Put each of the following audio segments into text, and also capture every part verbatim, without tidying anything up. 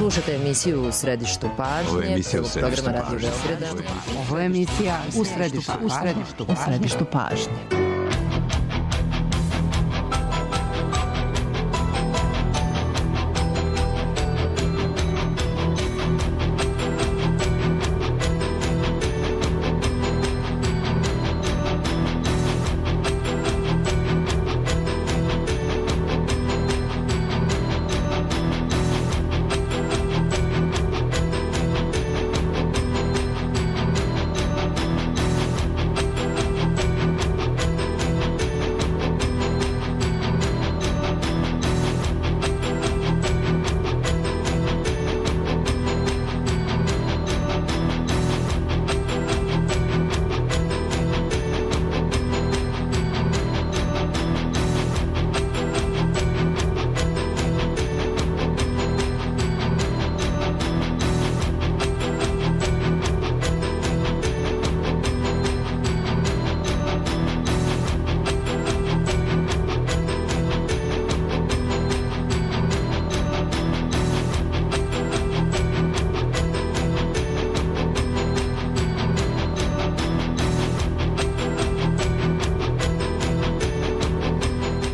Slušate emisiju U središtu pažnje. Ovo je emisija U središtu programa pažnje. Radio Beograda. Ovo je emisija U središtu, u središtu, u središtu pažnje.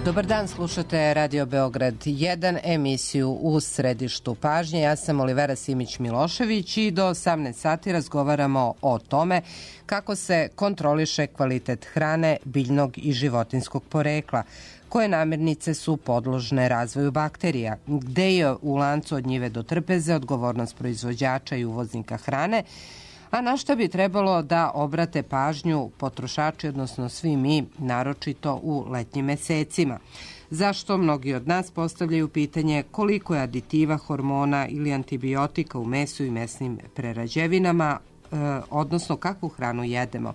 Dobar dan, slušate Radio Beograd jedan, emisiju U središtu pažnje. Ja sam Olivera Simić-Milošević i do osamnaest sati razgovaramo o tome kako se kontroliše kvalitet hrane biljnog i životinskog porekla, koje namirnice su podložne razvoju bakterija, gde je u lancu od njive do trpeze odgovornost proizvođača i uvoznika hrane, a na što bi trebalo da obrate pažnju potrošači, odnosno svi mi, naročito u letnjim mesecima. Zašto mnogi od nas postavljaju pitanje koliko je aditiva, hormona ili antibiotika u mesu i mesnim prerađevinama, e, odnosno kakvu hranu jedemo.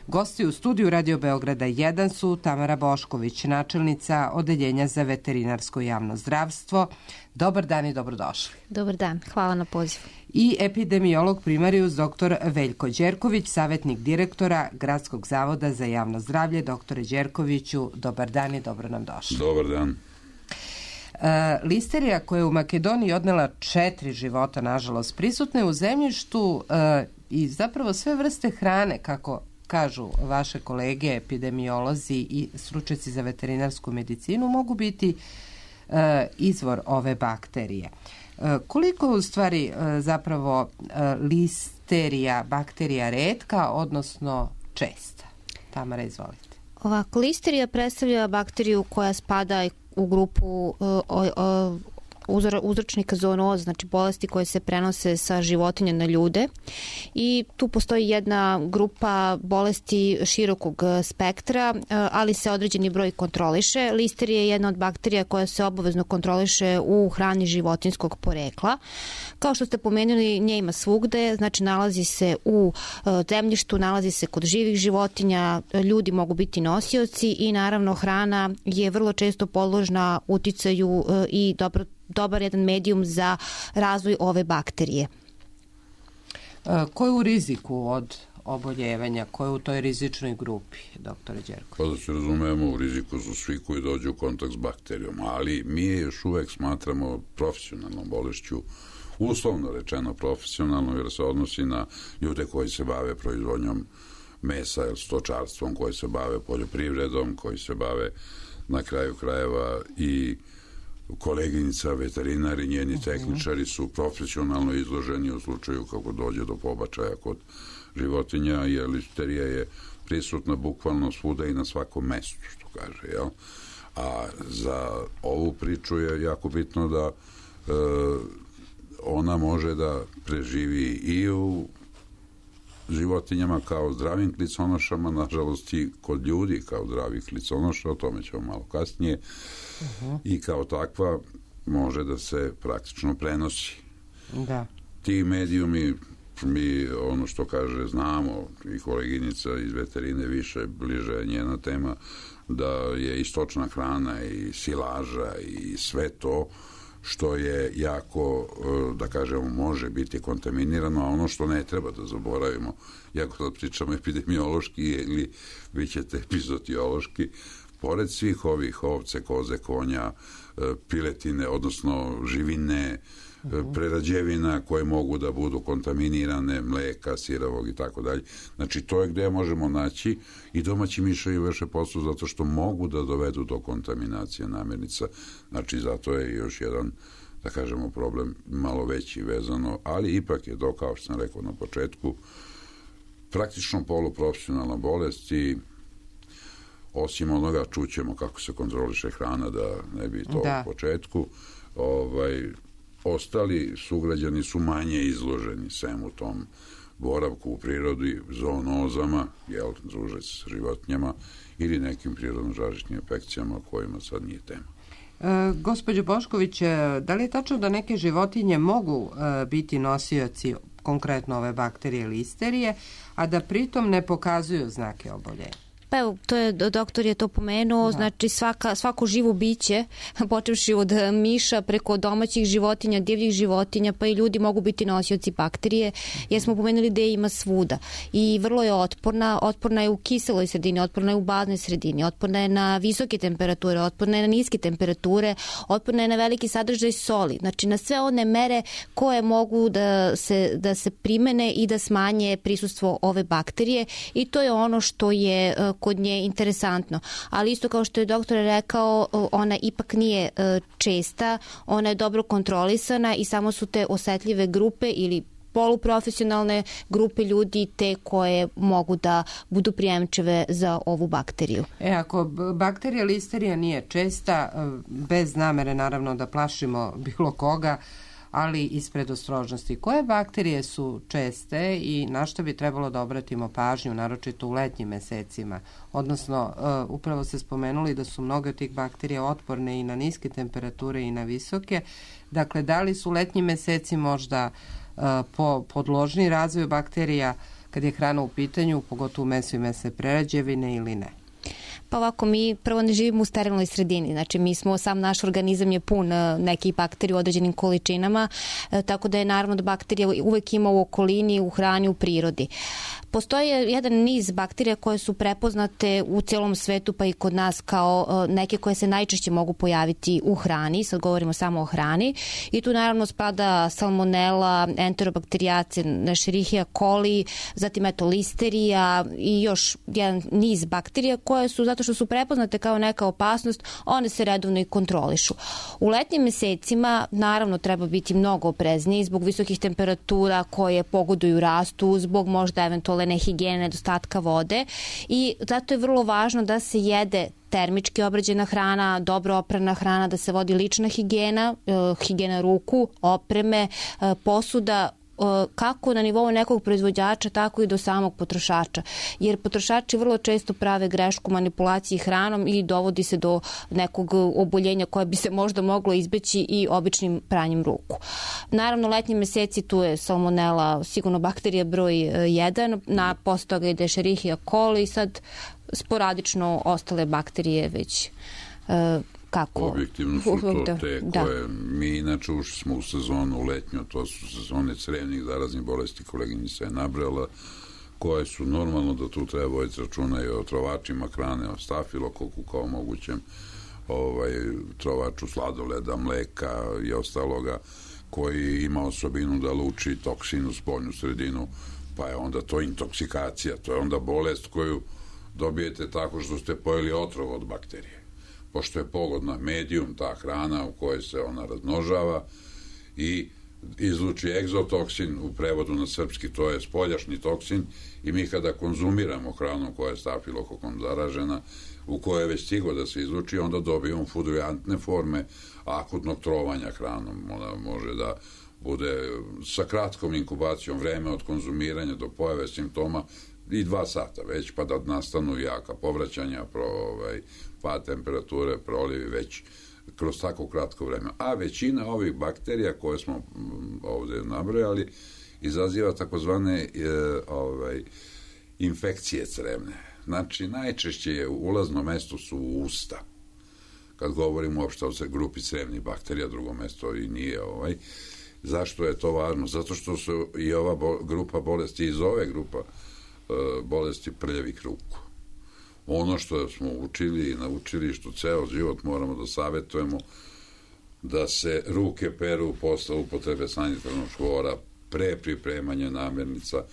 Gosti u studiju Radio Beograda jedan su Tamara Bošković, načelnica Odeljenja za veterinarsko javno zdravstvo. Dobar dan i dobrodošli. Dobar dan, hvala na pozivu. I epidemiolog primarijus doktor Veljko Đerković, savjetnik direktora Gradskog zavoda za javno zdravlje. Doktore Đerkoviću, dobar dan i dobro nam došli. Dobar dan. E, listerija koja je u Makedoniji odnela četiri života, nažalost, prisutna je u zemljištu e, i zapravo sve vrste hrane, kako kažu vaše kolege epidemiolozi i stručnjaci za veterinarsku medicinu, mogu biti e, izvor ove bakterije. E, koliko je u stvari e, zapravo e, listerija bakterija retka, odnosno česta? Tamara, izvolite. Ovako, listerija predstavlja bakteriju koja spada u grupu o, o, uzročnika zoonoza, znači bolesti koje se prenose sa životinja na ljude, i tu postoji jedna grupa bolesti širokog spektra, ali se određeni broj kontroliše. Listerija je jedna od bakterija koja se obavezno kontroliše u hrani životinskog porekla. Kao što ste pomenuli, nje ima svugde, znači nalazi se u zemljištu, nalazi se kod živih životinja, ljudi mogu biti nosioci i naravno hrana je vrlo često podložna uticaju i dobro dobar jedan medijum za razvoj ove bakterije. E, ko je u riziku od oboljevanja? Ko je u toj rizičnoj grupi, doktore Đerković? Pa da se razumemo, u riziku su svi koji dođu u kontakt s bakterijom, ali mi je još uvek smatramo profesionalnom bolešću, uslovno rečeno profesionalno, jer se odnosi na ljude koji se bave proizvodnjom mesa ili stočarstvom, koji se bave poljoprivredom, koji se bave na kraju krajeva i koleginica veterinari, njeni tehničari su profesionalno izloženi u slučaju kako dođe do pobačaja kod životinja, jer listerija je prisutna bukvalno svuda i na svakom mestu, što kaže, jel? A za ovu priču je jako bitno da e, ona može da preživi i u životinjama kao zdravim kliconošama, nažalost i kod ljudi kao zdravih kliconoša, o tome ćemo malo kasnije, uh-huh. i kao takva može da se praktično prenosi. Da. Ti medijumi, mi ono što kaže znamo, i koleginica iz veterine više, bliže njena tema, da je i stočna hrana i silaža i sve to što je jako, da kažemo, može biti kontaminirano, a ono što ne treba da zaboravimo, jako da pričamo epidemiološki ili vi ćete epizotiološki, pored svih ovih ovce, koze, konja, piletine, odnosno živine, prerađevina koje mogu da budu kontaminirane, mleka, sirovog i tako dalje. Znači, to je gde možemo naći i domaći miševi vrše posao zato što mogu da dovedu do kontaminacije namirnica. Znači, zato je još jedan, da kažemo, problem malo veći vezano, ali ipak je to, kao što sam rekao na početku, praktično poluprofesionalna bolest i osim onoga čućemo kako se kontroliše hrana, da ne bi to da. U početku, ovaj, ostali sugrađani su manje izloženi svemu tom boravku u prirodi, zoonozama, jel, druže se s životinjama ili nekim prirodno žarišnim infekcijama kojima sad nije tema. E, gospođo Bošković, da li je tačno da neke životinje mogu e, biti nosioci konkretno ove bakterije listerije, a da pritom ne pokazuju znake oboljenja? Pa evo, to je, doktor je to pomenuo, da. Znači svaka, svako živo biće, počevši od miša preko domaćih životinja, divljih životinja, pa i ljudi mogu biti nosioci bakterije, jer smo pomenuli da je ima svuda i vrlo je otporna, otporna je u kiseloj sredini, otporna je u baznoj sredini, otporna je na visoke temperature, otporna je na niske temperature, otporna je na veliki sadržaj soli, znači na sve one mere koje mogu da se, da se primene i da smanje prisustvo ove bakterije i to je ono što je kod nje interesantno. Ali isto kao što je doktor rekao, ona ipak nije česta, ona je dobro kontrolisana i samo su te osetljive grupe ili poluprofesionalne grupe ljudi te koje mogu da budu prijemčive za ovu bakteriju. E, ako bakterija listerija nije česta, bez namere naravno da plašimo bilo koga, ali iz predostrožnosti. Koje bakterije su česte i na što bi trebalo da obratimo pažnju, naročito u letnjim mesecima? Odnosno, uh, upravo ste spomenuli da su mnoge od tih bakterija otporne i na niske temperature i na visoke. Dakle, da li su letnji meseci možda uh, po podložni razvoju bakterija kad je hrana u pitanju, pogotovo meso i mesne prerađevine ili ne? Pa ovako, mi prvo ne živimo u sterilnoj sredini, znači mi smo, sam naš organizam je pun nekih bakterija u određenim količinama, tako da je naravno da bakterija uvek ima u okolini, u hrani, u prirodi. Postoji jedan niz bakterija koje su prepoznate u celom svetu pa i kod nas kao neke koje se najčešće mogu pojaviti u hrani, sad govorimo samo o hrani i tu naravno spada salmonela, enterobakterijace, Escherichia coli, zatim eto listerija i još jedan niz bakterija koje su, zato što su prepoznate kao neka opasnost, one se redovno i kontrolišu. U letnjim mesecima naravno treba biti mnogo oprezniji zbog visokih temperatura koje pogoduju rastu, zbog možda eventualne nehigijene, nedostatka vode i zato je vrlo važno da se jede termički obrađena hrana, dobro oprana hrana, da se vodi lična higijena, higijena ruku, opreme, posuda, kako na nivou nekog proizvođača, tako i do samog potrošača. Jer potrošači vrlo često prave grešku manipulaciji hranom i dovodi se do nekog oboljenja koje bi se možda moglo izbeći i običnim pranjem ruku. Naravno, letnji meseci tu je salmonela, sigurno bakterija broj jedan, na posle toga ide Escherichia coli i sad sporadično ostale bakterije već kako? Objektivno su to te da. Koje mi inače ušli smo u sezonu letnju, to su sezone crevnih zaraznih bolesti, koleginica je nabrala, koje su normalno da tu treba voditi računa i o trovačima hrane, o stafilokoku kao mogućem ovaj, trovaču sladoleda, mleka i ostaloga, koji ima osobinu da luči toksin u spoljnu sredinu, pa je onda to intoksikacija, to je onda bolest koju dobijete tako što ste pojeli otrov od bakterije. Pošto je pogodna medijum, ta hrana u kojoj se ona razmnožava i izluči egzotoksin, u prevodu na srpski to je spoljašnji toksin i mi kada konzumiramo hranu koja je stafilokokom zaražena, u kojoj je već stigo da se izluči, onda dobijemo fudujantne forme akutnog trovanja hranom. Ona može da bude sa kratkom inkubacijom, vreme od konzumiranja do pojave simptoma i dva sata već, pa da nastanu jaka povraćanja, pro, ovaj, pad temperature, prolivi već kroz tako kratko vreme. A većina ovih bakterija koje smo ovde nabrojali izaziva takozvane e, ovaj, infekcije crevne. Znači, najčešće je ulazno mesto su usta. Kad govorimo uopšte o grupi crevnih bakterija, drugo mesto i nije ovaj. Zašto je to važno? Zato što su i ova bo, grupa bolesti iz ove grupa bolesti prljavih ruku. ono što smo učili i naučili, što ceo život moramo da savjetujemo, da se ruke peru posle upotrebe sanitarnog čvora, pre pripremanja namirnica,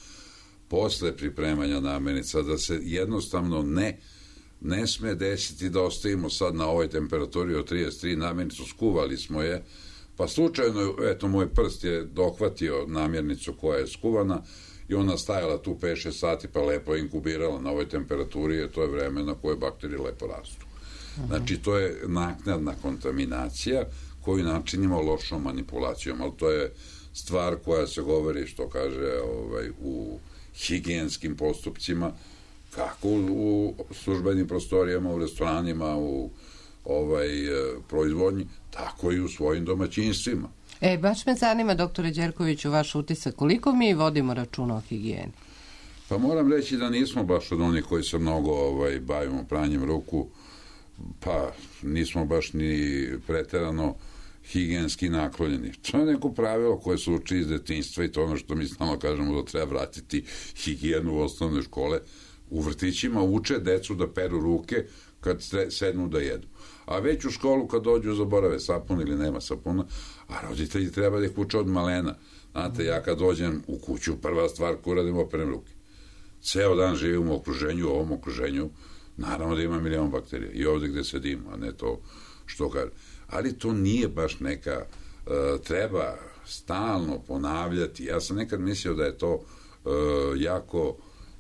posle pripremanja namirnica, da se jednostavno ne ne sme desiti da ostavimo sad na ovoj temperaturi od trideset tri namirnicu, skuvali smo je, pa slučajno, eto, moj prst je dohvatio namirnicu koja je skuvana i ona stajala tu pet šest sati, pa lepo inkubirala na ovoj temperaturi, jer to je vreme na koje bakterije lepo rastu. Znači, to je naknadna kontaminacija koju načinimo lošom manipulacijom, ali to je stvar koja se govori, što kaže, ovaj, u higijenskim postupcima, kako u, u službenim prostorijama, u restoranima, u ovaj, proizvodnji, tako i u svojim domaćinstvima. E, baš me zanima, doktore Đerkoviću, vaš utisak, koliko mi vodimo računa o higijeni? Pa moram reći da nismo baš od onih koji se mnogo ovaj, bavimo pranjem ruku, pa nismo baš ni preterano higijenski naklonjeni. To je neko pravilo koje se uči iz detinjstva i to ono što mi stalno kažemo da treba vratiti higijenu u osnovne škole. U vrtićima uče decu da peru ruke kad sednu da jedu. A već u školu kad dođu zaborave sapun ili nema sapuna, a roditelji treba da ih uče od malena. Znate, ja kad dođem u kuću, prva stvar koju radim, operem ruke. Ceo dan živim u okruženju, u ovom okruženju, naravno da ima milion bakterija. I ovde gde sedimo, a ne to što kaže. Ali to nije baš neka, uh, treba stalno ponavljati. Ja sam nekad mislio da je to uh, jako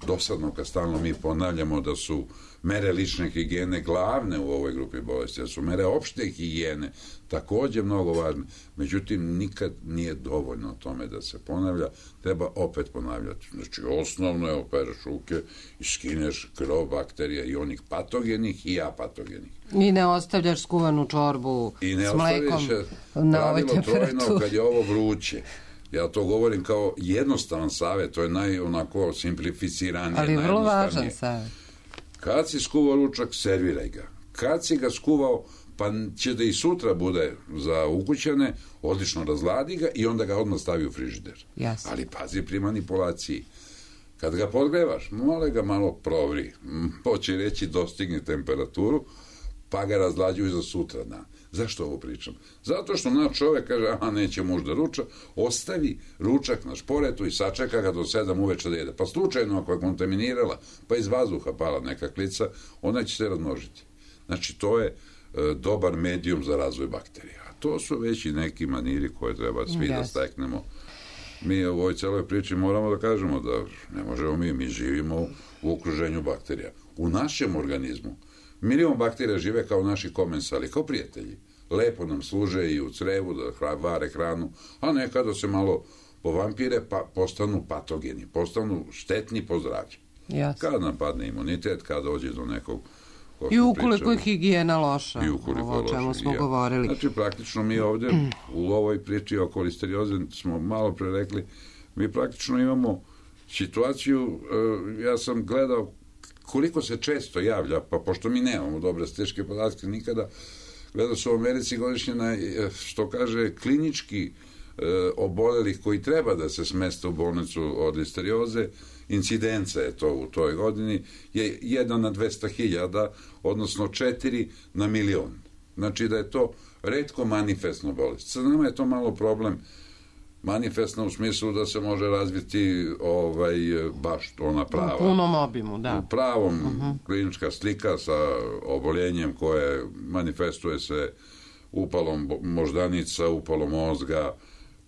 dosadno kad stalno mi ponavljamo da su mere lične higijene glavne u ovoj grupi bolesti, da su mere opšte higijene takođe mnogo važne. Međutim, nikad nije dovoljno o tome da se ponavlja, treba opet ponavljati. Znači, osnovno je opereš ruke i skineš krov bakterija i onih patogenih i apatogenih. I ne ostavljaš skuvanu čorbu s mlekom na ovoj temperaturi. Trojno, kad je ovo vruće. Ja to govorim kao jednostavan savjet, to je naj onako simplificiranije. Ali vrlo važan savjet. Kad si skuvao ručak, serviraj ga. Kad si ga skuvao, pa će da i sutra bude za ukućane, odlično razladi ga i onda ga odmah stavi u frižider. Jasne. Ali pazi pri manipulaciji. Kad ga podgrevaš, mole ga malo provri. Hoće reći dostigni temperaturu, pa ga razlađuju za sutra dan. Zašto ovo pričam? Zato što naš čovek kaže, aha, neće muž da ruča, ostavi ručak na šporetu i sačeka ga do sedam uveče da jede. Pa slučajno, ako je kontaminirala, pa iz vazduha pala neka klica, ona će se razmnožiti. Znači, to je e, dobar medijum za razvoj bakterija. A to su već i neki maniri koje treba svi yes. da steknemo. Mi u ovoj celoj priči moramo da kažemo da ne možemo mi, mi živimo u, u okruženju bakterija. U našem organizmu milion bakterija žive kao naši komensali, kao prijatelji. Lepo nam služe i u crevu da vare hranu, a nekada se malo povampire pa postanu patogeni, postanu štetni po zdravlje. Kada nam padne imunitet, kada dođe do nekog... I ukoliko je higijena loša, ovo o čemu smo govorili. Znači, praktično mi ovde u ovoj priči oko listerioze smo malo pre rekli, mi praktično imamo situaciju, ja sam gledao koliko se često javlja, pa pošto mi nemamo dobre statističke podatke nikada, gleda se u Americi godišnje na, što kaže, klinički e, obolelih koji treba da se smeste u bolnicu od listerioze, incidenca je to u toj godini, je jedan na dvesta hiljada, odnosno četiri na milion. Znači da je to retko manifestna bolest. Sa nama je to malo problem manifestna u smislu da se može razviti ovaj, baš ona prava. U punom obimu, da. U pravom uh-huh. klinička slika sa oboljenjem koje manifestuje se upalom moždanica, upalom mozga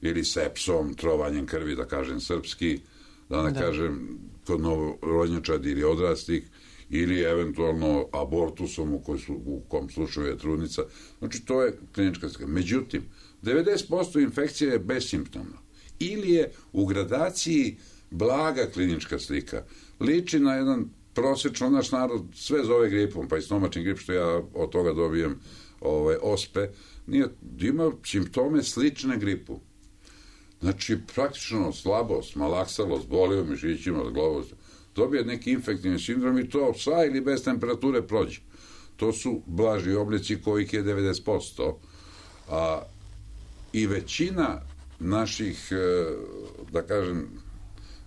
ili sepsom, trovanjem krvi, da kažem srpski, da ne da. kažem kod novorođenčadi ili odraslih, ili eventualno abortusom u, koji su, u kom slučaju je trudnica. Znači, to je klinička slika. Međutim, devedeset posto infekcija je besimptomna. Ili je u gradaciji blaga klinička slika. Liči na jedan prosečno, naš narod sve zove gripom, pa i stomačni grip, što ja od toga dobijem ovaj, ospe, nije, ima simptome slične gripu. Znači, praktično slabost, malaksalost, boli u mišićima, glavost, dobije neki infektivni sindrom i to sa ili bez temperature prođe. To su blaži oblici kojih je devedeset posto. A i većina naših, da kažem,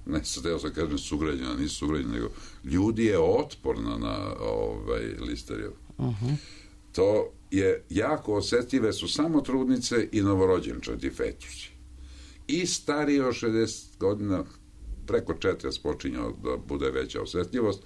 ne sad sam kažem sugrađena, nisu sugrađena, nego ljudi je otporno na ovaj, listeriju. Uh-huh. To je jako osjetljive su samo trudnice i novorođenčadi fetusi. I stariji od šezdeset godina, preko četrdeset počinje da bude veća osjetljivost.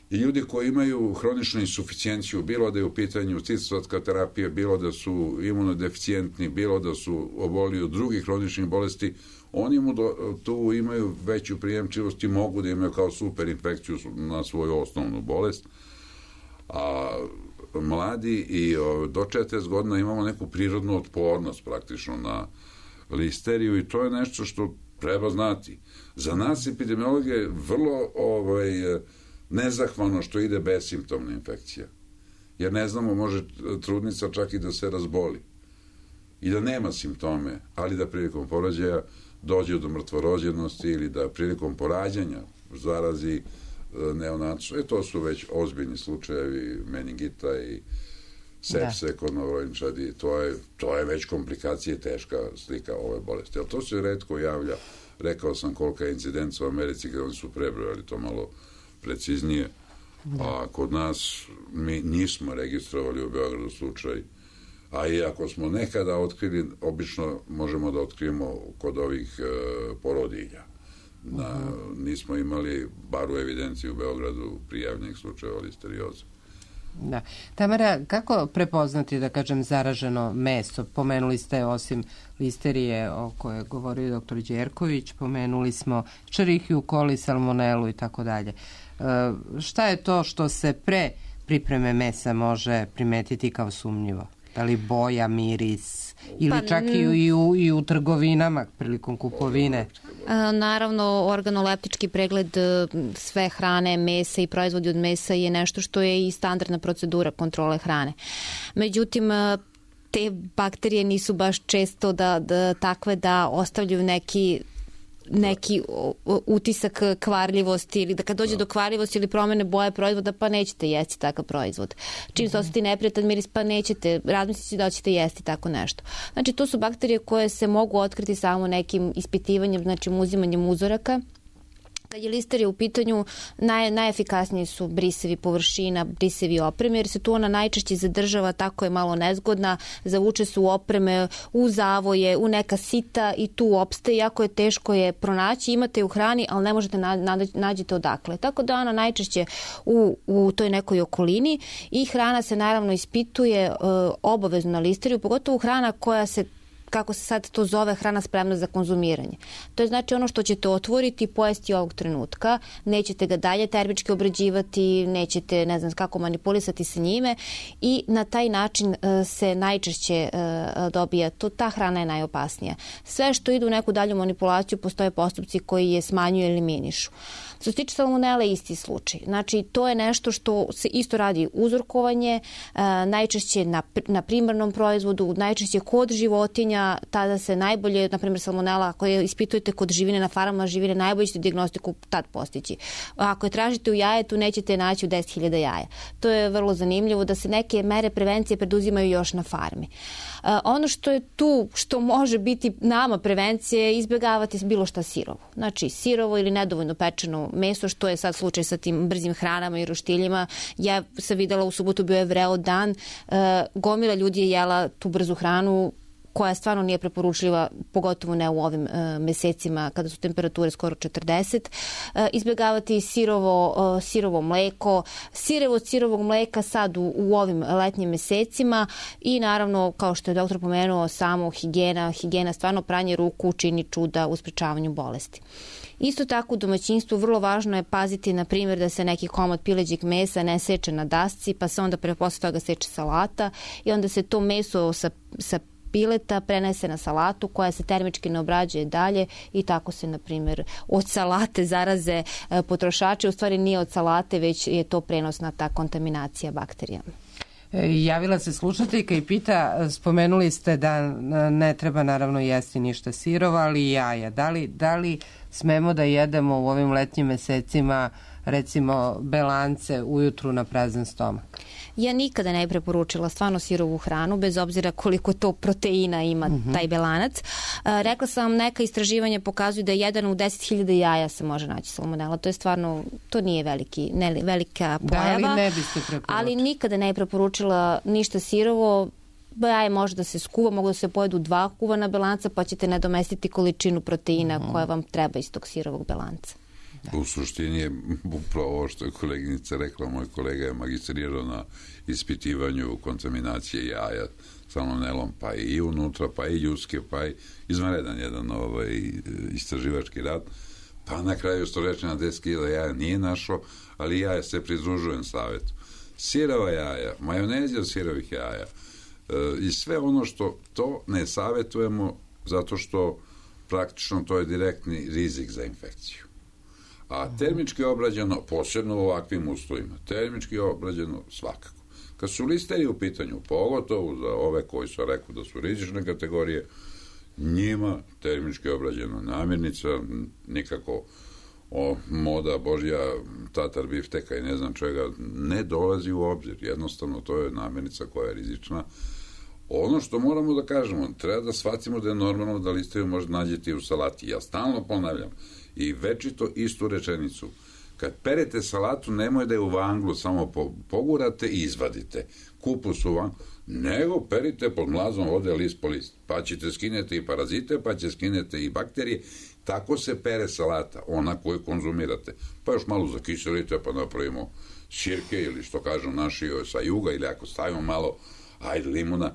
I ljudi koji imaju hroničnu insuficijenciju, bilo da je u pitanju citostatka terapije, bilo da su imunodeficijentni, bilo da su oboli od drugih hroničnih bolesti, oni mu do, tu imaju veću prijemčivost i mogu da imaju kao super infekciju na svoju osnovnu bolest. A mladi i o, do četrdeset godina imamo neku prirodnu otpornost praktično na listeriju i to je nešto što treba znati. Za nas epidemiologe je vrlo ovaj, nezahvalno što ide besimptomna infekcija. Jer ne znamo, može trudnica čak i da se razboli i da nema simptome, ali da prilikom porođaja dođe do mrtvorođenosti ili da prilikom porađanja zarazi neonacu. E, to su već ozbiljni slučajevi meningita i sepse da. Kod novorođenčadi. To je, to je već komplikacija i teška slika ove bolesti. Ali to se retko javlja. Rekao sam kolika je incidenca u Americi gde oni su prebrojali to malo preciznije. Da. A kod nas mi nismo registrovali u Beogradu slučaj. A i ako smo nekada otkrili, obično možemo da otkrijemo kod ovih e, porodilja. Na, uh-huh. Nismo imali bar u evidenciji u Beogradu prijavljenih slučajeva listerioze. Da. Tamara, kako prepoznati, da kažem, zaraženo meso? Pomenuli ste, osim listerije o kojoj je govorio doktor Đerković, pomenuli smo Escherichia coli, salmonelu i tako dalje. Šta je to što se pre pripreme mesa može primetiti kao sumnjivo? Da li boja, miris ili pa, čak i u, i u trgovinama prilikom kupovine? A, naravno, organoleptički pregled sve hrane, mesa i proizvodi od mesa je nešto što je i standardna procedura kontrole hrane. Međutim, te bakterije nisu baš često da, da takve da ostavljaju neki neki utisak kvarljivosti ili da kad dođe do kvarljivosti ili promene boje proizvoda pa nećete jesti takav proizvod. Čim se osjeti neprijatan miris pa nećete, razmislite da ćete jesti tako nešto. Znači to su bakterije koje se mogu otkriti samo nekim ispitivanjem, znači uzimanjem uzoraka. Kad je listerija u pitanju, naj, najefikasniji su brisevi površina, brisevi opreme, jer se tu ona najčešće zadržava, tako je malo nezgodna, zavuče se u opreme, u zavoje, u neka sita i tu opstaje, jako je teško je pronaći, imate je u hrani, ali ne možete na, na, nađete odakle. Tako da ona najčešće u, u toj nekoj okolini i hrana se naravno ispituje e, obavezno na listeriju, pogotovo hrana koja se, kako se sad to zove, hrana spremna za konzumiranje. To je znači ono što ćete otvoriti i pojesti ovog trenutka, nećete ga dalje termički obrađivati, nećete, ne znam kako, manipulisati sa njime i na taj način uh, se najčešće uh, dobija, to, ta hrana je najopasnija. Sve što ide u neku dalju manipulaciju, postoje postupci koji je smanjuju ili eliminišu. Što se tiče salmonele, isti slučaj. Znači, to je nešto što se isto radi uzorkovanje, uh, najčešće na, na primarnom proizvodu, najčešće kod životinja, tada se najbolje, na primjer salmonela, ako je ispitujete kod živine na farmama živine, najbolje ćete dijagnostiku tad postići. Ako je tražite u jajetu, nećete naći u deset hiljada jaja. To je vrlo zanimljivo da se neke mere prevencije preduzimaju još na farmi. Uh, ono što je tu, što može biti nama prevencija, je izbjegavati bilo šta sirovo. Znači, sirovo ili nedovoljno pečeno meso, što je sad slučaj sa tim brzim hranama i roštiljima. Ja sam videla u subotu, bio je vreo dan, uh, gomila ljudi je jela tu brzu hranu, koja stvarno nije preporučljiva, pogotovo ne u ovim e, mesecima kada su temperature skoro četrdeset. E, izbjegavati sirovo, e, sirovo mleko, sirevo od sirovog mleka sad u, u ovim letnjim mesecima i naravno, kao što je doktor pomenuo, samo higijena, higijena, stvarno pranje ruku čini čuda u sprečavanju bolesti. Isto tako u domaćinstvu vrlo važno je paziti, na primjer, da se neki komad pileđeg mesa ne seče na dasci, pa se onda pre posle toga seče salata i onda se to meso sa, sa pileta prenese na salatu koja se termički ne obrađuje dalje i tako se, na primjer, od salate zaraze potrošači. U stvari nije od salate, već je to prenosna ta kontaminacija bakterijama. Javila se slušateljka i pita, spomenuli ste da ne treba naravno jesti ništa sirovo, ali i jaja. Da li, da li smemo da jedemo u ovim letnjim mesecima recimo belance ujutru na prazan stomak? Ja nikada ne preporučila stvarno sirovu hranu, bez obzira koliko to proteina ima mm-hmm. taj belanac. A, rekla sam vam, neka istraživanja pokazuju da jedan u deset hiljada jaja se može naći salmonela. To je stvarno, to nije veliki, ne, velika pojava. Da, ali ne biste preporučili. Ali nikada ne preporučila ništa sirovo. Jaje može da se skuva, mogu da se pojedu dva kuvana belanca, pa ćete nadomestiti količinu proteina mm. koja vam treba iz tog sirovog belanca. Da. U suštini je upravo ovo što je koleginica rekla, moj kolega je magistrirao na ispitivanju kontaminacije jaja salmonelom, pa i unutra, pa i ljudske, pa i izvanredan jedan ovaj, istraživački rad, pa na kraju što reče na deset hiljada jaja nije našo, ali ja se pridružujem savjetu. Sirova jaja, majonezi od sirovih jaja, i sve ono što to ne savjetujemo zato što praktično to je direktni rizik za infekciju. A termički obrađeno, posebno u ovakvim uslovima, termički obrađeno svakako. Kad su listerije u pitanju, pogotovo za ove koji su rekao da su rizične kategorije, njima termički obrađena namirnica, nikako o, moda, božja, tatar bifteka i ne znam čega, ne dolazi u obzir. Jednostavno, to je namirnica koja je rizična. Ono što moramo da kažemo, treba da shvatimo da je normalno da listeriju možda nađete u salati. Ja stalno ponavljam i večito istu rečenicu. Kad perete salatu, nemoj da je u vanglu samo pogurate i izvadite. Kupus u vanglu, nego perite pod mlazom vode list po list. Pa ćete skinete i parazite, pa će skinete i bakterije. Tako se pere salata, ona koju konzumirate. Pa još malo zakiselite, pa napravimo sirke ili što kažu naši sa juga, ili ako stavimo malo ajde limuna,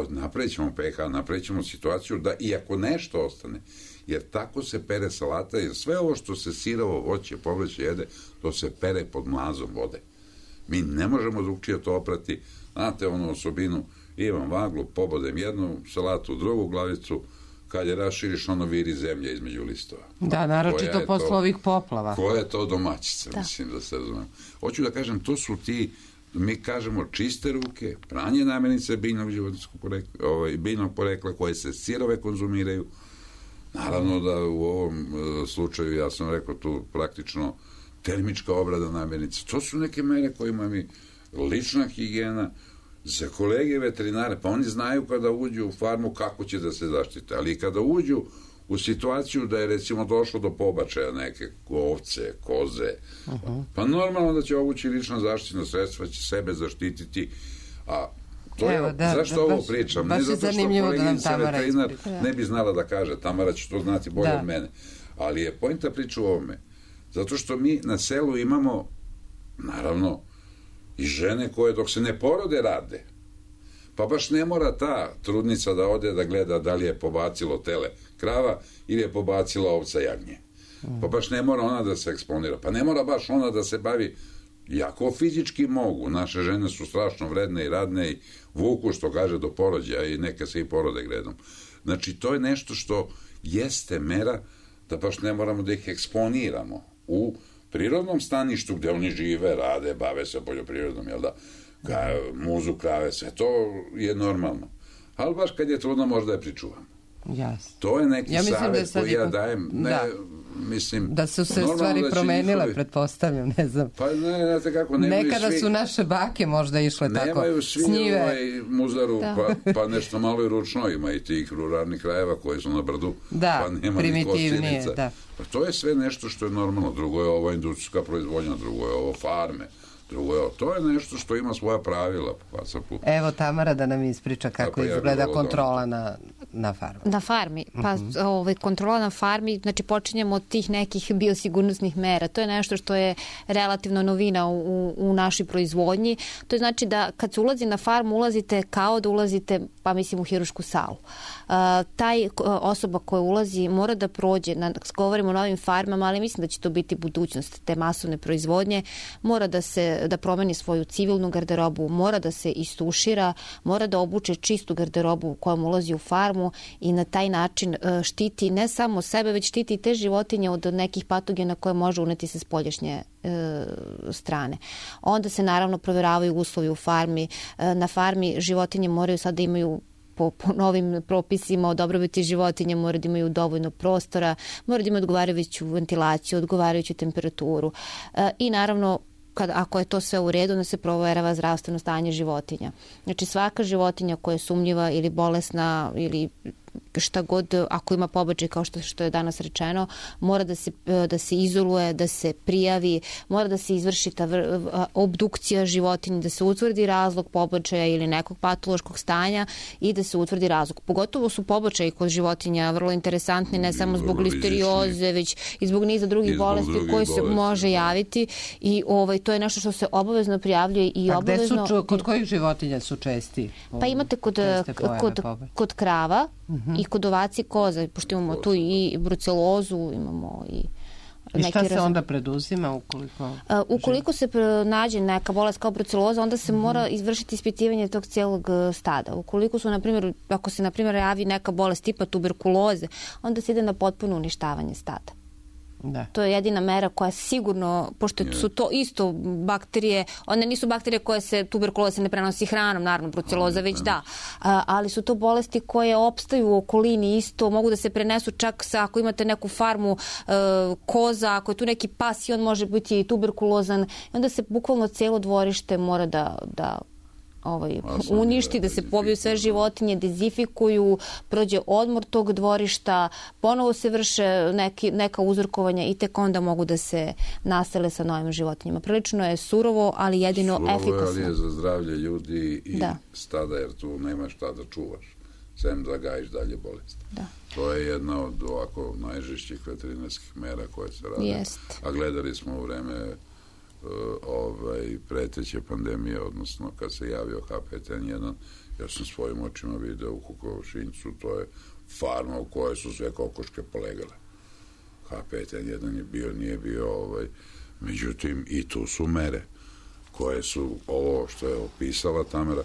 napravit ćemo pH, napravit ćemo situaciju da iako nešto ostane, jer tako se pere salata, jer sve ovo što se sirovo voće, povrće jede, to se pere pod mlazom vode. Mi ne možemo drugčije to oprati. Znate onu osobinu, imam vaglu, pobodem jednu salatu, drugu glavicu, kad je raširiš, ono viri zemlja između listova. Da, naročito posle ovih poplava. Koja je to domaćica, da. Mislim da se razumem. Hoću da kažem, to su ti, mi kažemo čiste ruke, pranje namirnice biljnog životinjskog porekla, ovaj, biljnog porekla koje se sirove konzumiraju. Naravno da u ovom uh, slučaju, ja sam rekao tu praktično termička obrada namirnice. To su neke mere kojima mi lična higijena za kolege veterinare, pa oni znaju kada uđu u farmu kako će da se zaštite, ali kada uđu u situaciju da je recimo došlo do pobačaja neke ovce, koze, uh-huh. pa normalno da će obući lična zaštitna sredstva, će sebe zaštititi, a to Evo, je, da, zašto da, ovo baš, pričam? Baš ne zato što koleginica da veterinar ne bi znala da kaže, Tamara će to znati bolje da. Od mene, ali je pointa priča u ovome, zato što mi na selu imamo, naravno, i žene koje dok se ne porode rade, pa baš ne mora ta trudnica da ode da gleda da li je pobacilo tele krava ili je pobacila ovca jagnje. Pa baš ne mora ona da se eksponira. Pa ne mora baš ona da se bavi, jako fizički mogu. Naše žene su strašno vredne i radne i vuku, što kaže, do porođaja i neka se i porode gredom. Znači, to je nešto što jeste mera da baš ne moramo da ih eksponiramo u prirodnom staništu gde oni žive, rade, bave se poljoprivredom, jel da? Muzu, krave, sve to je normalno. Ali baš kad je trudno možda je pričuvam. Jasno. To je neki ja savjet da koji ja dajem. Ne, da. Mislim, da su se stvari da promenile, njihovi... pretpostavljam, ne znam. Pa ne, znate kako, nemaju Nekada svi... su naše bake možda išle nemaju tako. Nemaju svi snjive. Ovaj muzaru, da. pa, pa nešto malo i ručno, ima i tih ruralnih krajeva koji su na brdu, da, pa nema ni kosinica. Da. Pa to je sve nešto što je normalno. Drugo je ovo industrijska proizvodnja, drugo je ovo farme. Drugo je, to je nešto što ima svoja pravila. Pa sa put. Evo Tamara da nam ispriča kako ja izgleda kontrola na, na farmi. Na farmi. Pa uh-huh. ovaj, kontrola na farmi, znači počinjemo od tih nekih biosigurnosnih mera. To je nešto što je relativno novina u, u našoj proizvodnji. To je znači da kad se ulazi na farmu, ulazite kao da ulazite, pa mislim, u hirušku salu. Uh, taj osoba koja ulazi mora da prođe, na, govorimo o novim farmama, ali mislim da će to biti budućnost te masovne proizvodnje, mora da se da promeni svoju civilnu garderobu, mora da se istušira, mora da obuče čistu garderobu kojom ulazi u farmu i na taj način štiti ne samo sebe, već štiti i te životinje od nekih patogena koje može uneti sa spoljašnje e, strane. Onda se naravno provjeravaju uslovi u farmi. E, na farmi životinje moraju sad da imaju Po, po novim propisima o dobrobiti životinja, mora da imaju dovoljno prostora, mora da imaju odgovarajuću ventilaciju, odgovarajuću temperaturu. E, I naravno kad, ako je to sve u redu, onda se proverava zdravstveno stanje životinja. Znači svaka životinja koja je sumnjiva ili bolesna ili šta god, ako ima pobačaj kao što, što je danas rečeno, mora da se, da se izoluje, da se prijavi, mora da se izvrši ta vr, obdukcija životinje, da se utvrdi razlog pobačaja ili nekog patološkog stanja i da se utvrdi razlog. Pogotovo su pobačaji kod životinja vrlo interesantni, ne samo zbog listerioze, već i zbog niza drugih zbog bolesti drugih koji se bolesti, može javiti i ovaj, to je nešto što se obavezno prijavljuje i A obavezno... Gde su, kod kojih životinja su česti? Pa imate kod, kod, kod krava, uh-huh. i kod ovaci koza, pošto imamo tu i brucelozu, imamo i... I šta se onda preduzima ukoliko... Uh, ukoliko se nađe neka bolest kao bruceloza, onda se mm-hmm. mora izvršiti ispitivanje tog cijelog stada. Ukoliko su, na primjer, ako se, na primjer, javi neka bolest tipa tuberkuloze, onda se ide na potpuno uništavanje stada. Da. To je jedina mera koja sigurno, pošto yeah. su to isto bakterije, one nisu bakterije koje se, tuberkuloza se ne prenosi hranom, naravno, bruceloza već da, a, ali su to bolesti koje opstaju u okolini isto, mogu da se prenesu čak sa, ako imate neku farmu e, koza, ako je tu neki pas i on može biti tuberkulozan, i onda se bukvalno cijelo dvorište mora da, da ovaj, uništi, da se pobiju sve životinje, dezifikuju, prođe odmor tog dvorišta, ponovo se vrše neki, neka uzorkovanja i tek onda mogu da se nasele sa novim životinjama. Prilično je surovo, ali jedino surovo efikasno. Surovo je, ali je za zdravlje ljudi i da. stada, jer tu nema šta da čuvaš, sem da gajiš dalje bolest. Da. To je jedna od ovako najžešćih veterinarskih mera koje se rade. Jest. A gledali smo u vreme ovaj, preteće pandemije, odnosno kad se javio H pet N jedan, ja sam svojim očima video u Kukovašincu, to je farma u kojoj su sve kokoške polegale. H pet N jedan je bio, nije bio, ovaj, međutim i tu su mere koje su ovo što je opisala Tamara,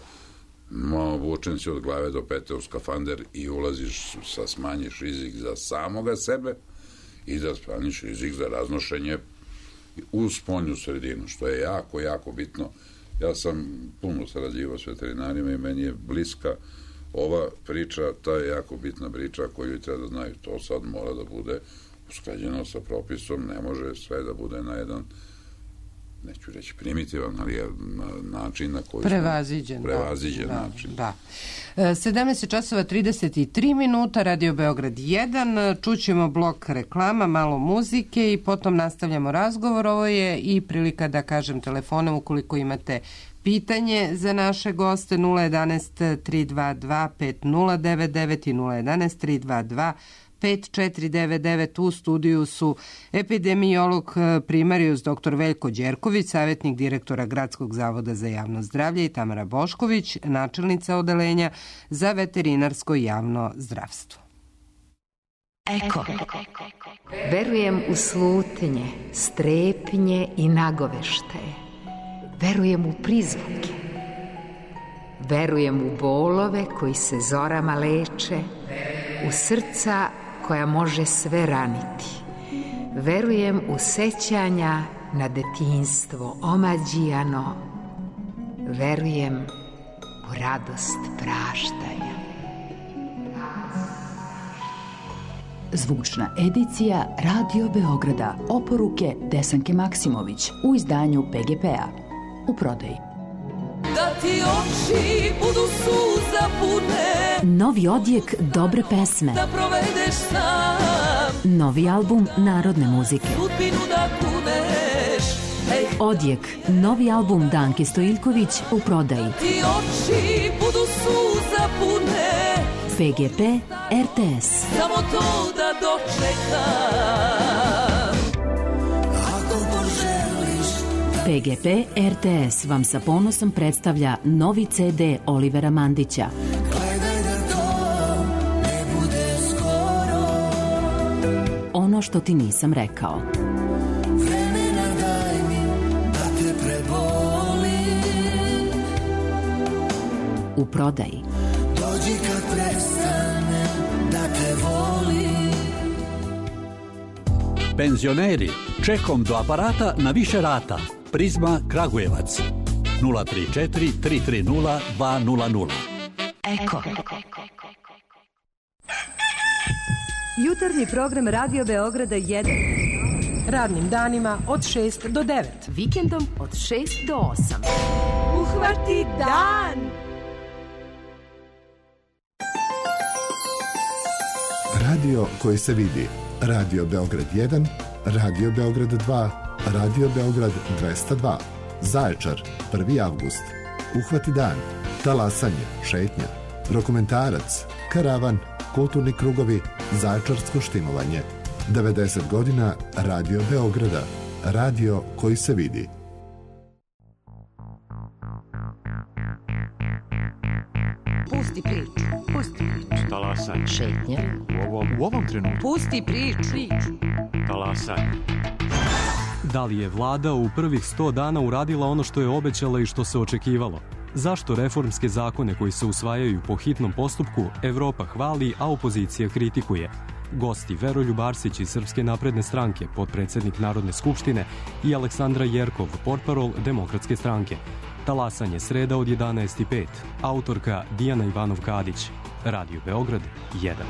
obučen si od glave do pete u skafander i ulaziš sa smanjiš rizik za samoga sebe i da smanjiš rizik za raznošenje u spoljnu sredinu, što je jako, jako bitno. Ja sam puno sarađivao s veterinarima i meni je bliska ova priča, ta je jako bitna priča koju treba da znaju. To sad mora da bude usklađeno sa propisom, ne može sve da bude na jedan, neću reći primitivan, ali je na način na koji prevaziđen, prevaziđen da, način. Da. sedamnaest časova trideset tri minuta, Radio Beograd jedan, čućemo blok reklama, malo muzike i potom nastavljamo razgovor. Ovo je i prilika da kažem telefonom ukoliko imate pitanje za naše goste nula jedanaest tri dva dva pet nula devet devet i nula jedanaest tri dva dva pet četiri devet devet. U studiju su epidemiolog primarijus dr Veljko Đerković, savjetnik direktora Gradskog zavoda za javno zdravlje, i Tamara Bošković, načelnica odeljenja za veterinarsko javno zdravstvo. Eko. Verujem u slutnje, strepnje i nagoveštaje. Verujem u prizvuke. Verujem u bolove koji se zorama leče, u srca koja može sve raniti. Verujem u sećanja na detinjstvo omađijano. Verujem u radost praštanja. Zvučna edicija Radio Beograda. Oporuke Desanke Maksimović u izdanju P G P-a. U prodaji. Da ti oči budu suza pune, novi odjek dobre pesme, da provedeš sam, novi album narodne muzike, sudbinu da kuneš. Ej. Odjek, novi album Danke Stojiljković u prodaji. Da ti oči budu suza pune, P G P R T S. Samo to da dočekam. P G P R T S vam sa ponosom predstavlja novi C D Olivera Mandića. Gledaj da to ne bude skoro. Ono što ti nisam rekao. Vremena daj mi da te prebolim. U prodaji. Dođi kad prestanem da te volim. Penzioneri, čekom do aparata na više rata. Prizma Kragujevac nula tri četiri tri tri nula dva nula nula. Eko. Jutarnji program Radio Beograda jedan. Radnim danima od šest do devet. Vikendom od šest do osam. Uhvati dan! Radio koji se vidi. Radio Beograd jedan, Radio Beograd dva, Radio Beograd dvesta dva. Zaječar, prvi avgust. Uhvati dan. Talasanje, šetnja. Dokumentarac, karavan, kulturni krugovi, zaječarsko štimovanje. devedeset godina Radio Beograda. Radio koji se vidi. Pusti priču, pusti priču. Talasanje. Šetnja. U ovom, u ovom trenutku. Pusti priču. Talasanje. Da li je vlada u prvih sto dana uradila ono što je obećala i što se očekivalo? Zašto reformske zakone koji se usvajaju po hitnom postupku Evropa hvali, a opozicija kritikuje? Gosti Veroljub Arsić iz Srpske napredne stranke, potpredsednik Narodne skupštine, i Aleksandra Jerkov, portparol Demokratske stranke. Talasanje sreda od jedanaest i pet. Autorka Dijana Ivanov-Kadić. Radio Beograd jedan.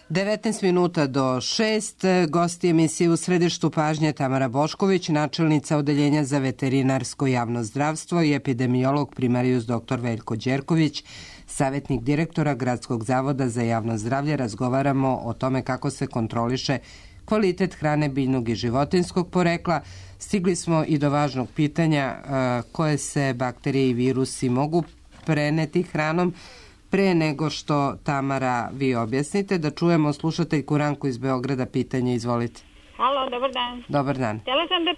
devetnaest minuta do šest, gosti emisije u središtu pažnje Tamara Bošković, načelnica Odeljenja za veterinarsko javno zdravstvo i epidemiolog primarijus doktor Veljko Đerković, savjetnik direktora Gradskog zavoda za javno zdravlje. Razgovaramo o tome kako se kontroliše kvalitet hrane biljnog i životinskog porekla. Stigli smo i do važnog pitanja koje se bakterije i virusi mogu preneti hranom. Pre nego što, Tamara, vi objasnite, da čujemo slušateljku Ranku iz Beograda. Pitanje, izvolite. Halo, dobar dan. Dobar dan. Htela sam da,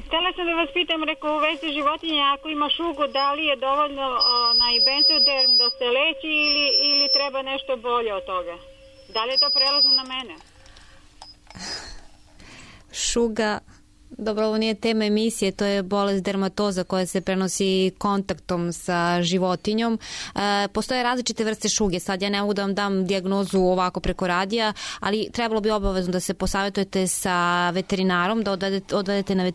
htela sam da vas pitam, rekao, u vezi životinja, ako ima šugu, da li je dovoljno onaj benzoderm da se leči ili, ili treba nešto bolje od toga? Da li je to prelazno na mene? Šuga, dobro, ovo nije tema emisije, to je bolest dermatoza koja se prenosi kontaktom sa životinjom. E, postoje različite vrste šuge, sad ja ne mogu da vam dam dijagnozu ovako preko radija, ali trebalo bi obavezno da se posavjetujete sa veterinarom, da odvedete, odvedete na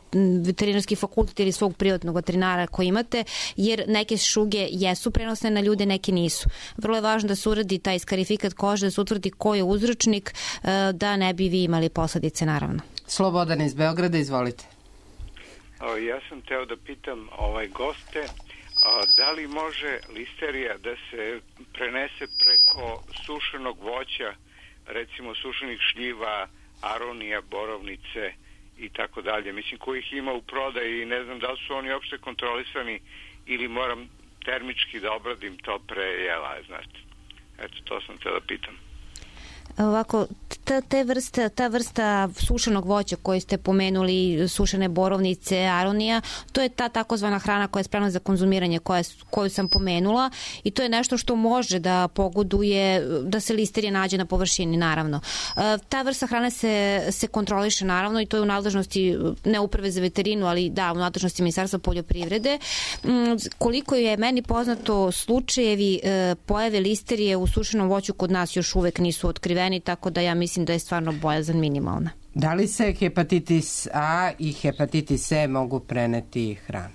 veterinarski fakultet ili svog privatnog veterinara koji imate, jer neke šuge jesu prenosne na ljude, neke nisu. Vrlo je važno da se uradi taj skarifikat kože, da se utvrdi ko je uzročnik, e, da ne bi vi imali posledice, naravno. Slobodan iz Beograda, izvolite. O, ja sam teo da pitam ovaj goste, a, da li može listerija da se prenese preko sušenog voća, recimo sušenih šljiva, aronija, borovnice i tako dalje. Mislim, kojih ima u prodaji i ne znam da li su oni uopšte kontrolisani ili moram termički da obradim to pre jela, znate. Eto, to sam teo da pitam. Ovako, ta, te vrste, ta vrsta sušenog voća koju ste pomenuli, sušene borovnice, aronija, to je ta takozvana hrana koja je spremna za konzumiranje, koja, koju sam pomenula, i to je nešto što može da pogoduje da se listerija nađe na površini, naravno. Ta vrsta hrane se, se kontroliše, naravno, i to je u nadležnosti ne uprave za veterinu, ali da, u nadležnosti Ministarstva poljoprivrede. Koliko je meni poznato, slučajevi pojave listerije u sušenom voću kod nas još uvek nisu otkriveni, tako da ja mislim da je stvarno bojazan minimalna. Da li se hepatitis A i hepatitis C mogu preneti hranu?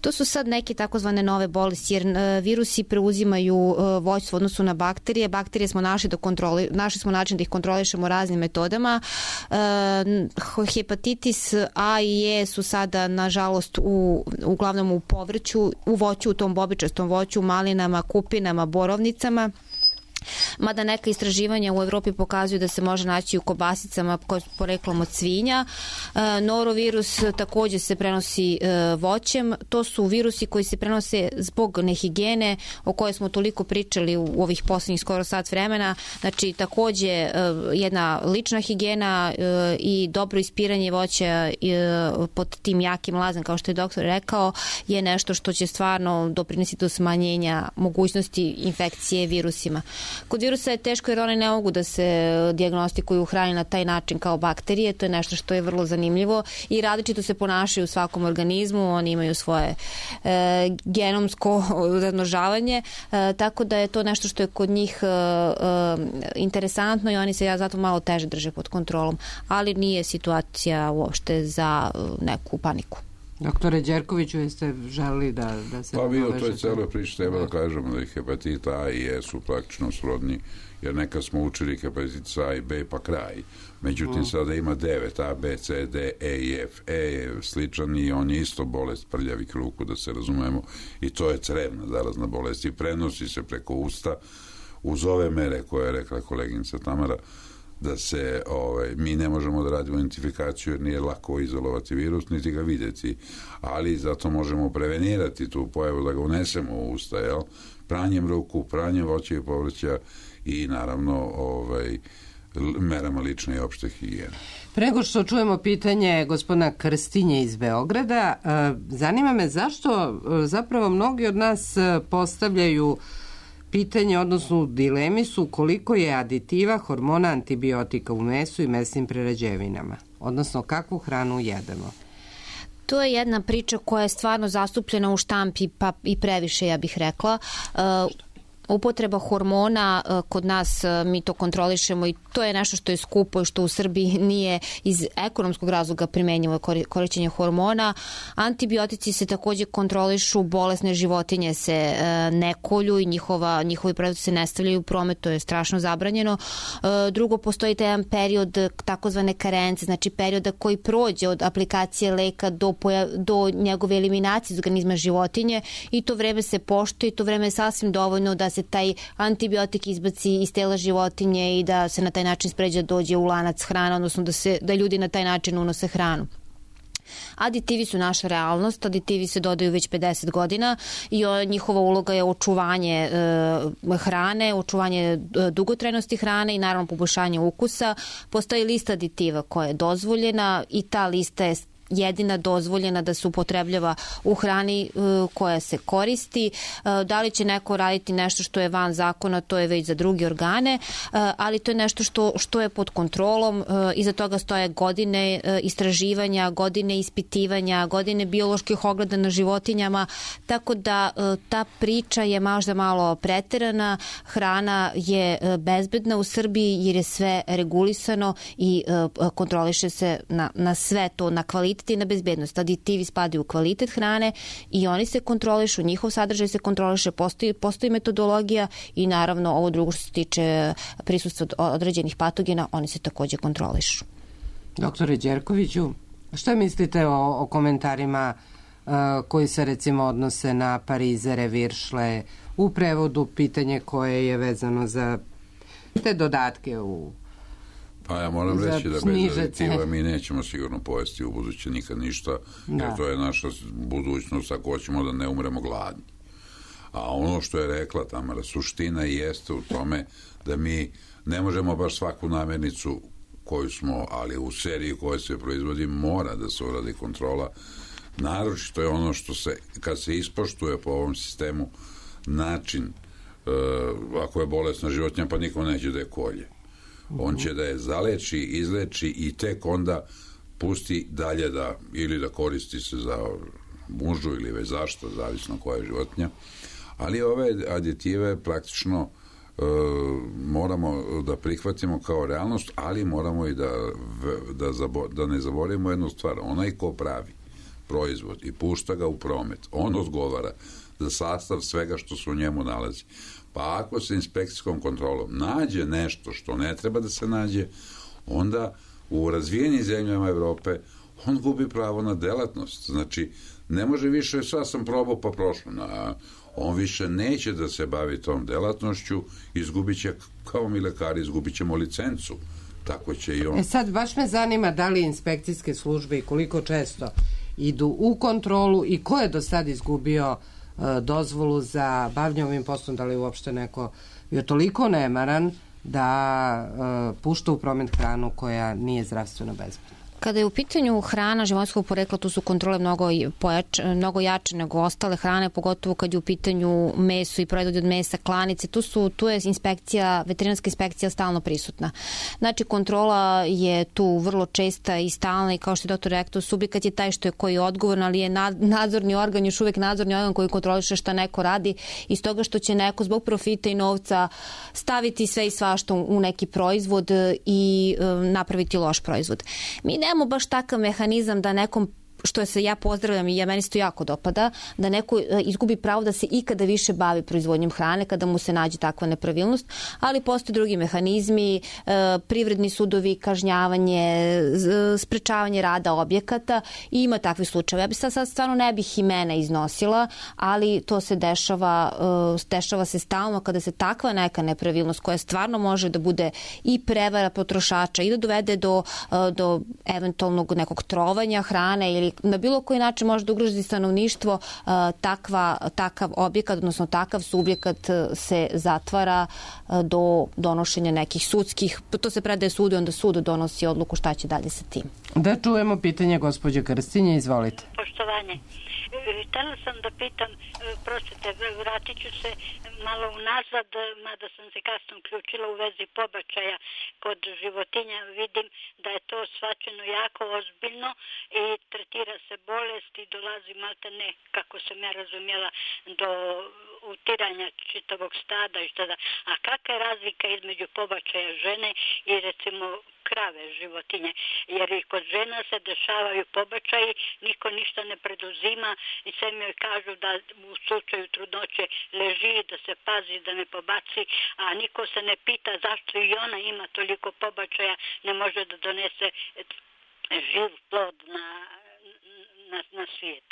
To su sad neke takozvane nove bolesti, jer uh, virusi preuzimaju uh, voćstvo u odnosu na bakterije. Bakterije smo našli, da kontroli, našli smo način da ih kontrolišemo raznim metodama. Uh, hepatitis A i E su sada, nažalost, u, uglavnom u povrću, u voću, u tom bobičastom voću, malinama, kupinama, borovnicama. Mada neka istraživanja u Evropi pokazuju da se može naći u kobasicama koje su poreklom od svinja. E, norovirus takođe se prenosi e, voćem. To su virusi koji se prenose zbog nehigijene o kojoj smo toliko pričali u, u ovih poslednjih skoro sat vremena. Znači, takođe e, jedna lična higijena e, i dobro ispiranje voća e, pod tim jakim lazem, kao što je doktor rekao, je nešto što će stvarno doprinesti do smanjenja mogućnosti infekcije virusima. Kod virusa je teško jer one ne mogu da se dijagnostikuju u hrani na taj način kao bakterije. To je nešto što je vrlo zanimljivo i različito se ponašaju u svakom organizmu. Oni imaju svoje e, genomsko razmnožavanje, e, tako da je to nešto što je kod njih e, e, interesantno i oni se ja zato malo teže drže pod kontrolom. Ali nije situacija uopšte za neku paniku. Doktore Đerkoviću, jeste želeli da, da se... Pa vi o toj celoj priči treba da kažemo da i hepatita A i E su praktično srodni, jer nekad smo učili hepatitis A i B pa kraj. Međutim, mm. sada ima devet, A, B, C, D, E i F. E je sličan i on je isto bolest prljavih ruku, da se razumemo, i to je crevna zarazna bolest i prenosi se preko usta uz ove mere koje je rekla koleginica Tamara, da se, ovaj, mi ne možemo da radimo identifikaciju jer nije lako izolovati virus, niti ga vidjeti, ali zato možemo prevenirati tu pojavu da ga unesemo u usta, jel? Pranjem ruku, pranjem voća i povrća i naravno ovaj, merama lične i opšte higijene. Prego što čujemo pitanje gospodina Krstinje iz Beograda, zanima me zašto zapravo mnogi od nas postavljaju pitanje, odnosno dilemi su koliko je aditiva, hormona, antibiotika u mesu i mesnim prerađevinama, odnosno kakvu hranu jedemo. To je jedna priča koja je stvarno zastupljena u štampi, pa i previše, ja bih rekla. Uh, upotreba hormona, kod nas mi to kontrolišemo i To je nešto što je skupo i što u Srbiji nije iz ekonomskog razloga primenjivo korišćenje hormona. Antibiotici se takođe kontrolišu, bolesne životinje se e, ne kolju i njihova, njihovi proizvodi se ne stavljaju u promet, to je strašno zabranjeno. E, drugo, postoji taj jedan period takozvane karence, znači perioda koji prođe od aplikacije leka do, pojav, do njegove eliminacije iz organizma životinje i to vreme se poštuje i to vreme je sasvim dovoljno da se taj antibiotik izbaci iz tela životinje i da se na taj način spređa dođe u lanac hrana, odnosno da, se, da ljudi na taj način unose hranu. Aditivi su naša realnost, aditivi se dodaju već pedeset godina i njihova uloga je očuvanje e, hrane, očuvanje dugotrajnosti hrane i naravno poboljšanje ukusa. Postoji lista aditiva koja je dozvoljena i ta lista je jedina dozvoljena da se upotrebljava u hrani koja se koristi. Da li će neko raditi nešto što je van zakona, to je već za druge organe, ali to je nešto što, što je pod kontrolom. Iza toga stoje godine istraživanja, godine ispitivanja, godine bioloških ogleda na životinjama, tako da ta priča je možda malo preterana. Hrana je bezbedna u Srbiji jer je sve regulisano i kontroliše se na, na sve to, na kvalitet i na bezbednost. Aditivi spadaju u kvalitet hrane i oni se kontrolišu, njihov sadržaj se kontroliše, postoji, postoji metodologija i naravno ovo drugo što se tiče prisustva određenih patogena, oni se takođe kontrolišu. Doktore Đerkoviću, šta mislite o, o komentarima uh, koji se recimo odnose na parizere, viršle, u prevodu pitanje koje je vezano za te dodatke u Pa ja moram reći da bez aditiva mi nećemo sigurno pojesti u buduće nikad ništa, jer da. To je naša budućnost ako hoćemo da ne umremo gladni. A ono što je rekla Tamara, suština jeste u tome da mi ne možemo baš svaku namirnicu koju smo, ali u seriji koja se proizvodi mora da se uradi kontrola. Naročito je ono što se, kad se ispoštuje po ovom sistemu način, uh, ako je bolesna životinja, pa niko neće da je kolje. On će da je zaleči, izleči i tek onda pusti dalje da, ili da koristi se za mužu ili već zašto, zavisno koja je životinja. Ali ove aditive praktično e, moramo da prihvatimo kao realnost, ali moramo i da, da, zabo, da ne zaboravimo jednu stvar. Onaj ko pravi proizvod i pušta ga u promet, on odgovara za sastav svega što se u njemu nalazi. Pa ako se inspekcijskom kontrolom nađe nešto što ne treba da se nađe, onda u razvijenim zemljama Evrope on gubi pravo na delatnost. Znači, ne može više, sad sam probao pa prošlo. Na, on više neće da se bavi tom delatnošću, izgubit će, kao mi lekari, izgubit ćemo licencu. Tako će i on. E sad, baš me zanima da li inspekcijske službe i koliko često idu u kontrolu i ko je do sad izgubio dozvolu za bavljanje ovim poslom, da li uopšte neko je toliko nemaran da uh, pušta u promet hranu koja nije zdravstveno bezbedna. Kada je u pitanju hrana životinjskog porekla, tu su kontrole mnogo, pojač, mnogo jače nego ostale hrane, pogotovo kad je u pitanju meso i proizvodi od mesa, klanice, tu, su, tu je inspekcija, veterinarska inspekcija stalno prisutna. Znači, kontrola je tu vrlo česta i stalna i kao što je doktor rekao, subjekat je taj što je koji je odgovoran, ali je nadzorni organ, još uvek nadzorni organ koji kontroliše šta neko radi iz toga što će neko zbog profita i novca staviti sve i svašta u neki proizvod i um, napraviti loš proizvod. Mi ne nemamo baš takav mehanizam da nekom, što se ja pozdravljam i ja meni se to jako dopada, da neko izgubi pravo da se ikada više bavi proizvodnjom hrane kada mu se nađe takva nepravilnost, ali postoje drugi mehanizmi, privredni sudovi, kažnjavanje, sprečavanje rada objekata i ima takvih slučajeva. Ja bi sad, sad stvarno ne bih imena iznosila, ali to se dešava, dešava se stalno kada se takva neka nepravilnost koja stvarno može da bude i prevara potrošača i da dovede do, do eventualnog nekog trovanja hrane ili na bilo koji način može da ugrozi stanovništvo, takva, takav objekat, odnosno takav subjekat se zatvara do donošenja nekih sudskih, to se predaje sudu i onda sud donosi odluku šta će dalje sa tim. Da čujemo pitanje gospođe Krstinje, izvolite. poštovanje. Htela sam da pitam, prostite, vratit ću se malo unazad, mada sam se kasno uključila u vezi pobačaja kod životinja. Vidim da je to shvaćeno jako ozbiljno i tretira se bolest i dolazi malte ne, kako sam ja razumjela, do utiranja čitavog stada i šta da. A kakva je razlika između pobačaja žene i recimo krave, životinje? Jer i kod žena se dešavaju pobačaji, niko ništa ne preduzima i sve mi joj kažu da u slučaju trudnoće leži, da se pazi, da ne pobaci, a niko se ne pita zašto i ona ima toliko pobačaja, ne može da donese živ plod na, na, na svijet.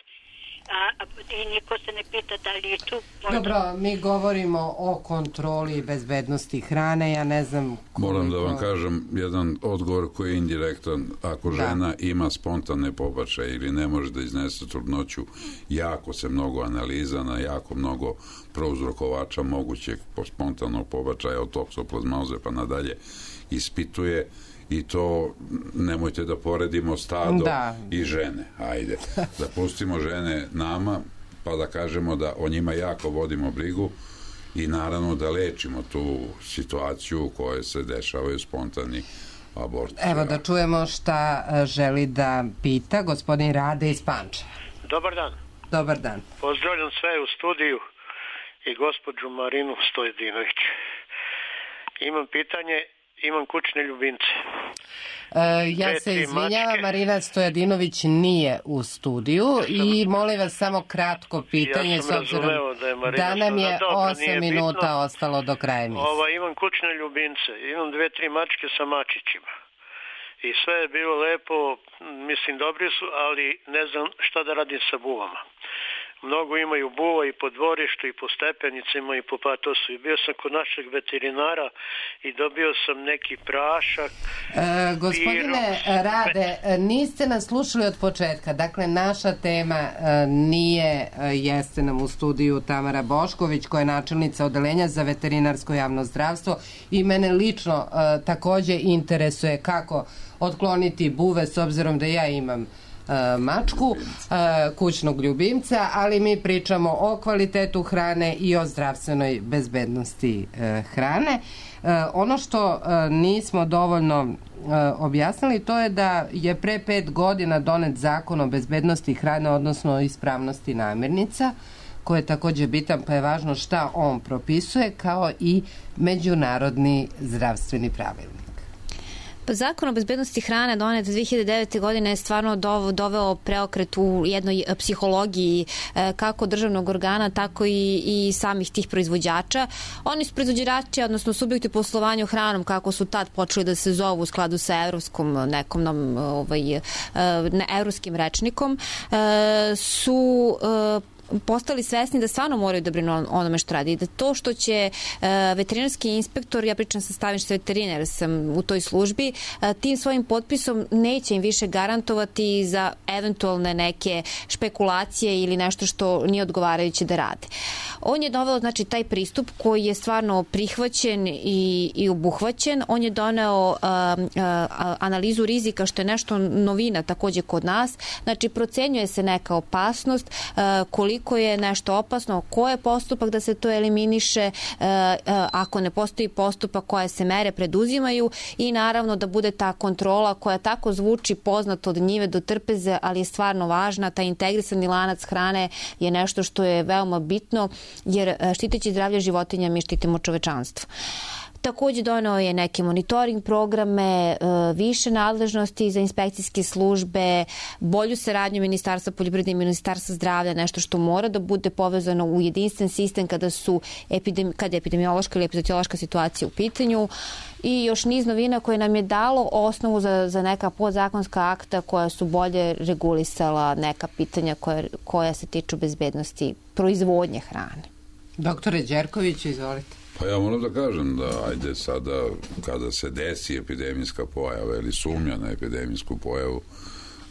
A, i niko se ne pita da li je tu možda... Dobro, mi govorimo o kontroli i bezbednosti hrane, ja ne znam koliko... Moram da vam kažem jedan odgovor koji je indirektan. Ako žena da. ima spontane pobačaje ili ne može da iznese trudnoću, jako se mnogo analiza na jako mnogo prouzrokovača mogućeg spontanog pobačaja od toksoplazmoze pa nadalje ispituje. I to nemojte da poredimo stado da. i žene. Ajde, da pustimo žene nama, pa da kažemo da o njima jako vodimo brigu i naravno da lečimo tu situaciju u kojoj se dešavaju spontani aborti. Evo da čujemo šta želi da pita gospodin Rade iz Pančeva. Dobar dan. Dobar dan. Pozdravljam sve u studiju i gospođu Marinu Stojedinović. Imam pitanje. Imam kućne ljubimce. E, ja se izvinjavam, Marina Stojadinović nije u studiju i molim vas samo kratko pitanje, ja s obzirom da, da nam je dobro, osam minuta bitno. Ostalo do kraja emisije. Ova, imam kućne ljubimce, imam dve, tri mačke sa mačićima. I sve je bilo lepo, mislim dobri su, ali ne znam šta da radim sa buvama. Mnogo imaju buva i po dvorištu i po stepenicima i po patosu. I bio sam kod našeg veterinara i dobio sam neki prašak. E, gospodine piru, Rade, niste nas slušali od početka. Dakle, naša tema nije, jeste nam u studiju Tamara Bošković, koja je načelnica odeljenja za veterinarsko javno zdravstvo i mene lično takođe interesuje kako otkloniti buve s obzirom da ja imam mačku, kućnog ljubimca, ali mi pričamo o kvalitetu hrane i o zdravstvenoj bezbednosti hrane. Ono što nismo dovoljno objasnili, to je da je pre pet godina donet zakon o bezbednosti hrane, odnosno ispravnosti namirnica, koji je takođe bitan, pa je važno šta on propisuje, kao i međunarodni zdravstveni pravilnik. Zakon o bezbednosti hrane donet dve hiljade devete. godine je stvarno doveo preokret u jednoj psihologiji kako državnog organa, tako i, i samih tih proizvođača. Oni su proizvođači, odnosno subjekti u poslovanju hranom, kako su tad počeli da se zovu u skladu sa evropskom nekom nam, ovaj, ne, evropskim rečnikom, su postali svesni da stvarno moraju da brinu onome što radi. Da to što će uh, veterinarski inspektor, ja pričam sa stavišta veterinar, sam u toj službi, uh, tim svojim potpisom neće im više garantovati za eventualne neke špekulacije ili nešto što nije odgovarajuće da rade. On je doveo, znači, taj pristup koji je stvarno prihvaćen i, i obuhvaćen. On je doneo uh, uh, analizu rizika, što je nešto novina takođe kod nas. Znači, procenjuje se neka opasnost, uh, koliko koliko je nešto opasno, ko je postupak da se to eliminiše, e, e, ako ne postoji postupak, koje se mere preduzimaju i naravno da bude ta kontrola koja tako zvuči poznato od njive do trpeze, ali je stvarno važna. Taj integrisani lanac hrane je nešto što je veoma bitno, jer štiteći zdravlje životinja mi štitimo čovečanstvo. Takođe doneo je neke monitoring programe, više nadležnosti za inspekcijske službe, bolju saradnju Ministarstva poljoprivrede i Ministarstva zdravlja, nešto što mora da bude povezano u jedinstven sistem kada su epidemi, kada je epidemiološka ili epizodiološka situacija u pitanju, i još niz novina koje nam je dalo osnovu za, za neka podzakonska akta koja su bolje regulisala neka pitanja koja, koja se tiču bezbednosti proizvodnje hrane. Doktore Đerković, izvolite. Pa ja moram da kažem da ajde sada kada se desi epidemijska pojava ili sumnja na epidemijsku pojavu,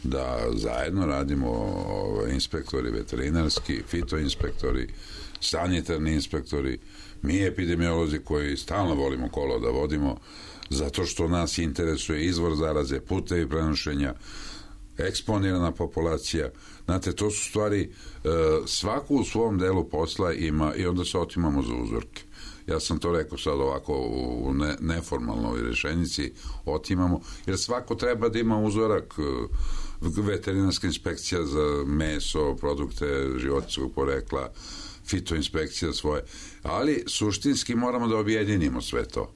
da zajedno radimo ove, inspektori veterinarski, fitoinspektori, sanitarni inspektori, mi epidemiolozi koji stalno volimo kolo da vodimo, zato što nas interesuje izvor zaraze, putevi prenošenja, eksponirana populacija. Znate, to su stvari, svaku u svom delu posla ima i onda se otimamo za uzorke. Ja sam to rekao sad ovako u ne, neformalnoj rešenici, otimamo, jer svako treba da ima uzorak, veterinarska inspekcija za meso, produkte životinjskog porekla, fitoinspekcija svoje, ali suštinski moramo da objedinimo sve to.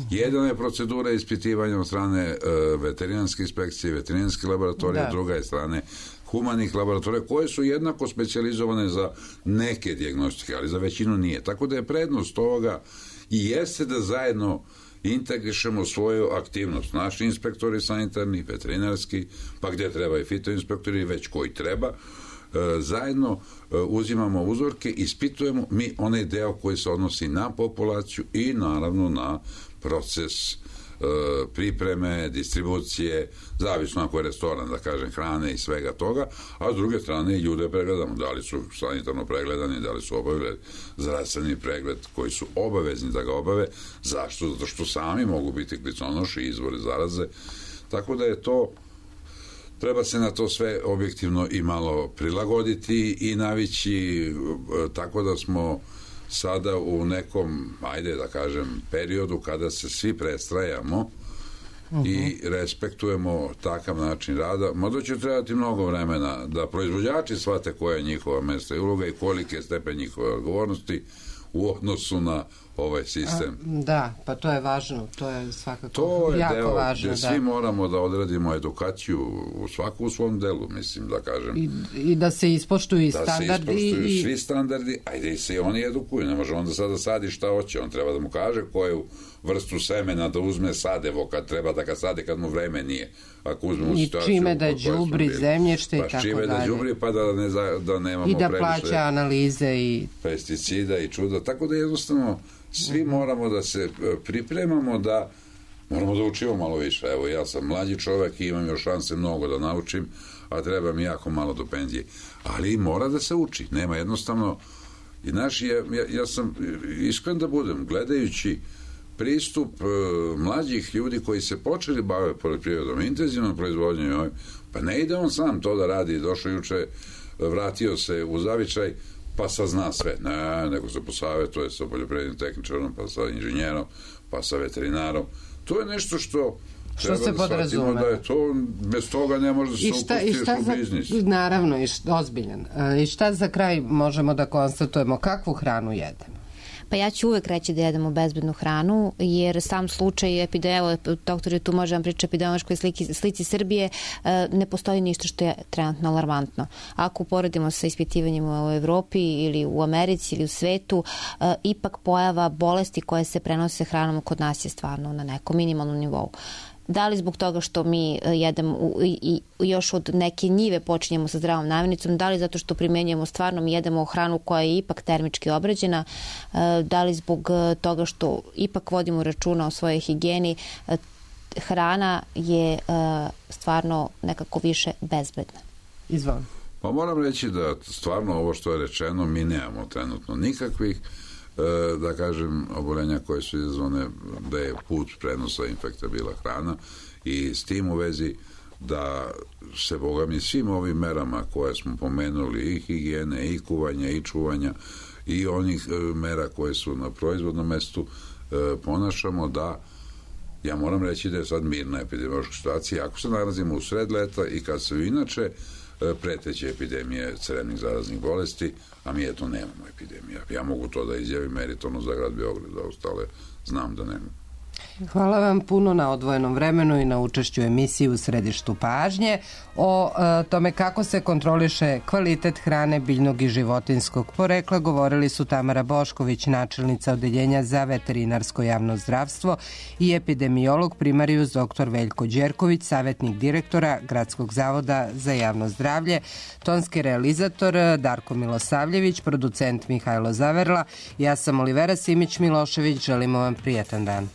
Jedna je procedura ispitivanja od strane uh, veterinarske inspekcije, veterinarske laboratorije, da. Druga je strane humanih laboratorija, koje su jednako specijalizovane za neke dijagnostike, ali za većinu nije. Tako da je prednost ovoga i jeste da zajedno integrišemo svoju aktivnost. Naši inspektori sanitarni, veterinarski, pa gde treba i fitoinspektori, već koji treba, zajedno uzimamo uzorke, ispitujemo mi onaj deo koji se odnosi na populaciju i naravno na proces pripreme, distribucije, zavisno ako je restoran, da kažem, hrane i svega toga, a s druge strane i ljude pregledamo, da li su sanitarno pregledani, da li su obavili zdravstveni pregled koji su obavezni da ga obave. Zašto? Zato što sami mogu biti kliconoši i izvori zaraze, tako da je to, treba se na to sve objektivno i malo prilagoditi i navići, tako da smo sada u nekom, ajde da kažem, periodu kada se svi prestrajamo uh-huh. i respektujemo takav način rada. Možda će trebati mnogo vremena da proizvođači shvate koja je njihova mesta i uloga i kolike stepen njihove odgovornosti u odnosu na ovaj sistem. A, da, pa to je važno, to je svakako to je jako deo važno. Gde da. Svi moramo da odradimo edukaciju u svaku u svom delu, mislim, da kažem. I, i da se ispoštuju i da standardi. Da se ispoštuju i... svi standardi, ajde i se oni edukuju, ne može onda sada sadi šta hoće, on treba da mu kaže koju vrstu semena da uzme sadevo kad treba da ga sade kad mu vreme nije. Ako uzmemo i situaciju... čime da đubri zemljište pa i tako čime dalje. Da đubri, pa da, ne, da nemamo i da previše plaća analize i pesticida i čuda, tako da jednostavno svi mm-hmm. moramo da se pripremamo, da moramo da učimo malo više. Evo, ja sam mlađi čovek i imam još šanse mnogo da naučim, a treba mi jako malo do penzije. Ali mora da se uči. Nema jednostavno... I naš, ja, ja sam iskren da budem, gledajući pristup uh, mlađih ljudi koji se počeli bave poljoprivredom, intenzivnom proizvodnjom, pa ne ide on sam to da radi, došao juče, vratio se u zavičaj, pa sad zna sve. Ne, nego se posavetuje sa poljoprivrednim tehničarom, pa sa inženjerom, pa sa veterinarom. To je nešto što što se da podrazume. Da je to, bez toga ne može da se upustiš u biznis. Naravno, i šta, ozbiljan. I šta za kraj možemo da konstatujemo? Kakvu hranu jedemo? Pa ja ću uvek reći da jedemo bezbednu hranu, jer sam slučaj epidemije, doktor je tu može vam priča epidemiološkoj slici, slici Srbije, ne postoji ništa što je trenutno alarmantno. Ako uporedimo sa ispitivanjima u Evropi ili u Americi ili u svetu, ipak pojava bolesti koje se prenose hranom kod nas je stvarno na nekom minimalnom nivou. Da li zbog toga što mi jedemo i, i još od neke njive počinjemo sa zdravom namirnicom, da li zato što primenjujemo stvarno mi jedemo hranu koja je ipak termički obrađena, da li zbog toga što ipak vodimo računa o svojoj higijeni, hrana je stvarno nekako više bezbedna. Izvolim. Pa moram reći da stvarno ovo što je rečeno mi nemamo trenutno nikakvih da kažem, obolenja koje su izazvane da je put prenosa infekta bila hrana i s tim u vezi da se, boga mi, svim ovim merama koje smo pomenuli, i higijene, i kuvanja, i čuvanja, i onih mera koje su na proizvodnom mestu ponašamo, da ja moram reći da je sad mirna epidemiološka situacija. Ako se nalazimo u sred leta i kad se inače preteće epidemije crevnih zaraznih bolesti, a mi eto nemamo epidemija. Ja mogu to da izjavim meritorno za grad Beograd, da ostale znam da nemamo. Hvala vam puno na odvojenom vremenu i na učešću emisiji U središtu pažnje o e, tome kako se kontroliše kvalitet hrane biljnog i životinskog porekla. Govorili su Tamara Bošković, načelnica Odeljenja za veterinarsko javno zdravstvo, i epidemiolog primarijus doktor Veljko Đerković, savjetnik direktora Gradskog zavoda za javno zdravlje, tonski realizator Darko Milosavljević, producent Mihajlo Zaverla. Ja sam Olivera Simić Milošević, želimo vam prijetan dan.